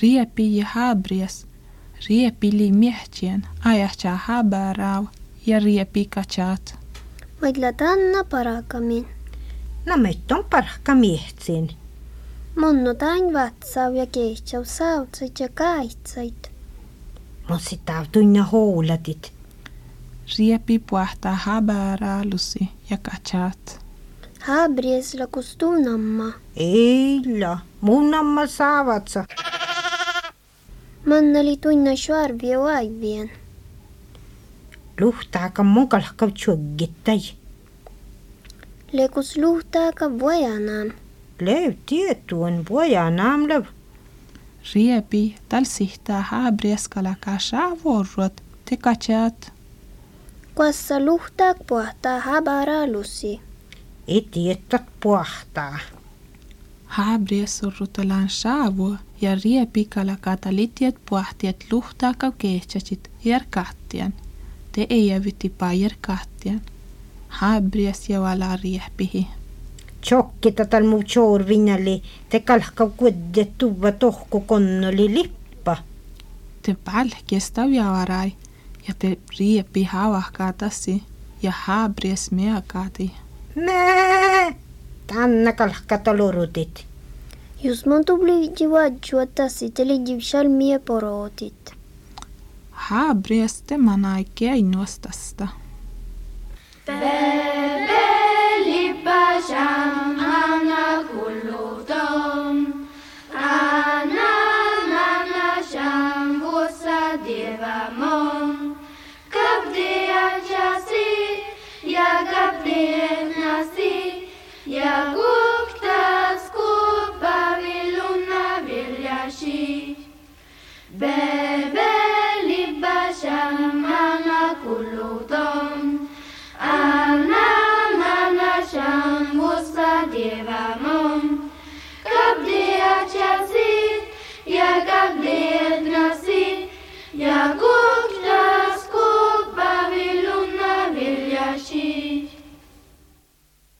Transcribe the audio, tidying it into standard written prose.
Riepi ja habries, riepili miehtien, ajatsa habarau ja riepi katsat. Vaidla tanna parakamin. No meitä on parhka miehtsin. Monno tain vatsau ja kehtsau sautsait ja kaitsait. Mut sitä tunna houlatit. Riepi puhtaa habaraalusi ja katsat. Habriesla kustunamma. Eila, mun amma saavatsa. Mannali tunna sharvia vaivien. Luhtaaka mukalhka tjuggittai. Lekus luhtaaka vojanaan. Lev tietuun vojanaan lev. Riepi talsihtaa habrieskala kashaa vorrot te katsat. Kuassa luhtaak puhtaa habaraalusi. Etiettat puhtaa. Habries surrutelaan saavua ja riepikala katalitiet puhtiet luhtaaka kehtsäsit järkahtian. Te ei jävyti pajerkahtian. Habries ja vala riepihi. Tjokkita tal muu tjoorvinali te kalhka kudet tuva tohku konnoli lippa. Te palkesta viavarai ja te riepi havahkaatasi ja habries meakaati. Mää! Tanna kalhka talorutit. Jos mun tubli jivadjua tassi te lidjivshal mie porootit. Habries te manai keinuostasta. Bebelipasham ana kullutom ana sham vusa devamon kabdi ajasi ya kabdi nasi ya guktas kupaviluna vilyashi Bebelipasham ana kullutom ana sham vusa devamon kabdi ajasi ya kabdi nasi ya